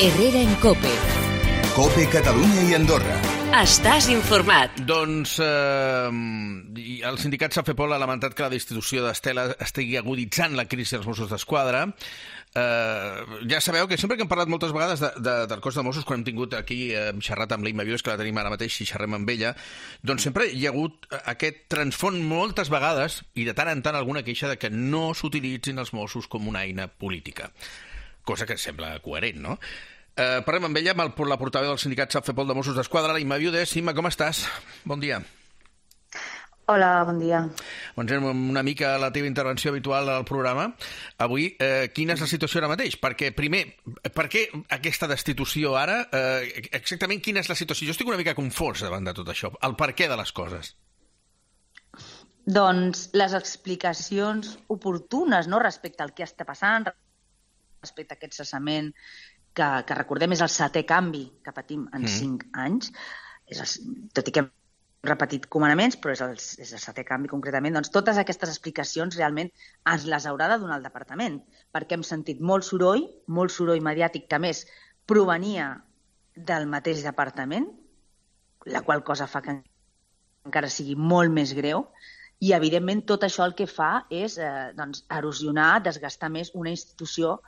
Herrera en COPE. COPE Catalunya i Andorra. Estàs informat. Doncs el sindicat Safepol ha lamentat que la destitució d'Estela estigui aguditzant la crisi dels Mossos d'Esquadra. Ja sabeu que sempre que hem parlat moltes vegades del cos de Mossos, quan hem tingut aquí xerrat amb l'Imma Vives, que la tenim ara mateix i xerrem amb ella, doncs sempre hi ha hagut aquest transfons moltes vegades, i de tant en tant alguna queixa de que no s'utilitzin els Mossos com una eina política. Cosa que sembla coherent, no? Parlem amb ella, amb la portaveu del sindicat Safepol de Mossos d'Esquadra, l'Imma Vives. Imma, com estàs? Bon dia. Hola, bon dia. Doncs una mica la teva intervenció habitual al programa. Avui, quina és la situació ara mateix? Perquè, primer, per què aquesta destitució ara? Exactament quina és la situació? Jo estic una mica confós davant de tot això. El per què de les coses. Doncs les explicacions oportunes, no?, respecte al que està passant, respecte a aquest cessament, que recordem és el 7è canvi que patim en 5 anys, tot i que hem repetit comandaments, però és el 7è canvi concretament, doncs totes aquestes explicacions realment ens les haurà de donar el departament, perquè hem sentit molt soroll mediàtic que a més provenia del mateix departament, la qual cosa fa que encara sigui molt més greu, i evidentment tot això el que fa és erosionar, desgastar més una institució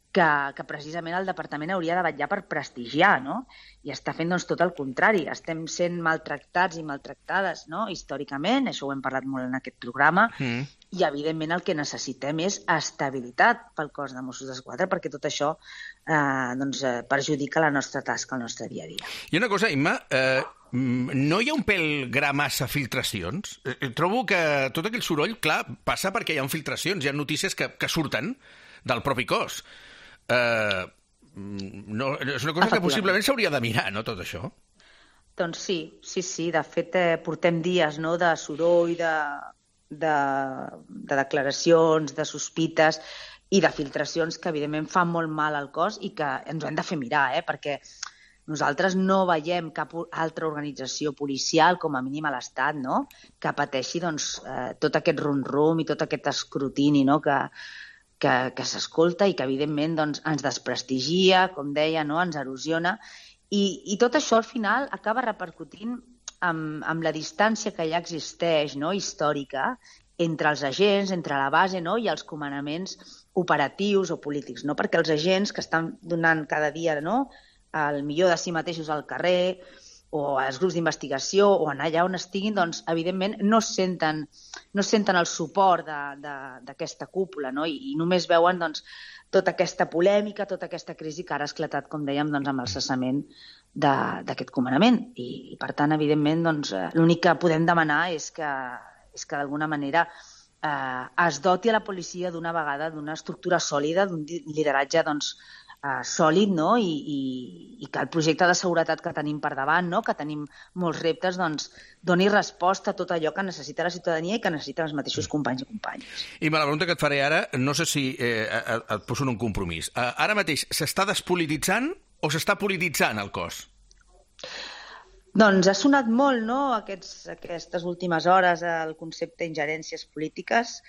que precisament el departament hauria de vetllar per prestigiar, no? I està fent tot el contrari. Estem sent maltractats i maltractades, no?, històricament, això ho hem parlat molt en aquest programa, i evidentment el que necessitem és estabilitat pel cos de Mossos d'Esquadra, perquè tot això perjudica la nostra tasca, el nostre dia a dia. I una cosa, Imma, no hi ha un pèl gra massa filtracions? Trobo que tot aquell soroll, clar, passa perquè hi ha filtracions, hi ha notícies que surten del propi cos. No, és una cosa que possiblement s'hauria de mirar, no, tot això? Doncs sí. De fet, portem dies, no?, de soroll, de declaracions, de sospites i de filtracions que evidentment fan molt mal al cos i que ens ho hem de fer mirar, perquè nosaltres no veiem cap altra organització policial, com a mínim a l'Estat, no?, que pateixi tot aquest rum-rum i tot aquest escrutini, no?, que s'escolta i que evidentment ens desprestigia, com deia, no?, ens erosiona, i tot això al final acaba repercutint amb la distància que ja existeix, no?, històrica, entre els agents, entre la base, no?, i els comandaments operatius o polítics, no?, perquè els agents que estan donant cada dia, no?, el millor de si mateixos al carrer o als grups d'investigació o anar allà on estiguin, doncs, evidentment, no senten el suport d'aquesta cúpula, no?, i només veuen tota aquesta polèmica, tota aquesta crisi que ara ha esclatat, com dèiem, amb el cessament d'aquest comandament. I per tant, evidentment, l'únic que podem demanar és que d'alguna manera es doti a la policia d'una vegada d'una estructura sòlida, d'un lideratge sòlid, no?, i que el projecte de seguretat que tenim per davant, no?, que tenim molts reptes, doni resposta a tot allò que necessita la ciutadania i que necessiten els mateixos companys i companyes. I la pregunta que et faré ara, no sé si et poso en un compromís. Ara mateix s'està despolititzant o s'està polititzant el cos? Doncs ha sonat molt, no?, aquestes últimes hores el concepte d'ingerències polítiques,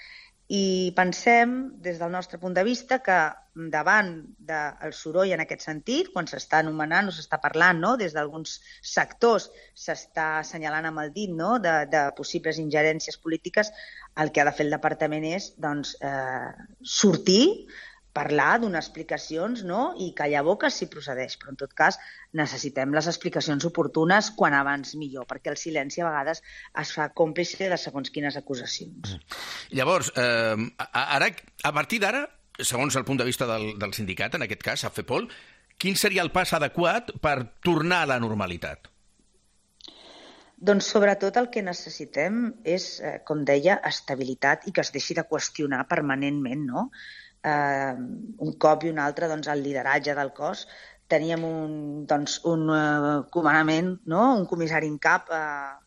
i pensem, des del nostre punt de vista, que davant del soroll en aquest sentit, quan s'està anomenant o s'està parlant, no?, des d'alguns sectors s'està assenyalant amb el dit, no?, de possibles ingerències polítiques, el que ha de fer el departament és sortir, parlar, donar explicacions, no?, i callar boques si procedeix, però en tot cas necessitem les explicacions oportunes quan abans millor, perquè el silenci a vegades es fa còmplice de segons quines acusacions. Llavors, ara, a partir d'ara, segons el punt de vista del sindicat, en aquest cas, Safepol, quin seria el pas adequat per tornar a la normalitat? Doncs sobretot el que necessitem és, com deia, estabilitat i que es deixi de qüestionar permanentment, no?, un cop i un altre, el lideratge del cos. Teníem un comandament, no?, un comissari en cap,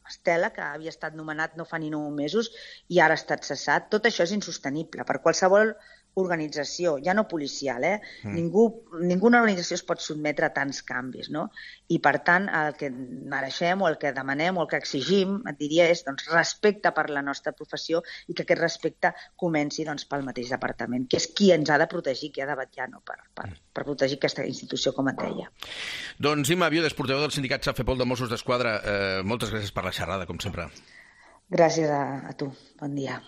Estela, que havia estat nomenat no fa ni 9 mesos i ara ha estat cessat. Tot això és insostenible per qualsevol organització, ja no policial, ninguna organització es pot sotmetre a tants canvis, no? I, per tant, el que mereixem o el que demanem o el que exigim, et diria, és respecte per la nostra professió i que aquest respecte comenci pel mateix departament, que és qui ens ha de protegir, qui ha de vetllar per protegir aquesta institució, com et deia. Doncs Imma Viudes, portaveu del sindicat Safepol de Mossos d'Esquadra, moltes gràcies per la xerrada, com sempre. Gràcies a tu. Bon dia.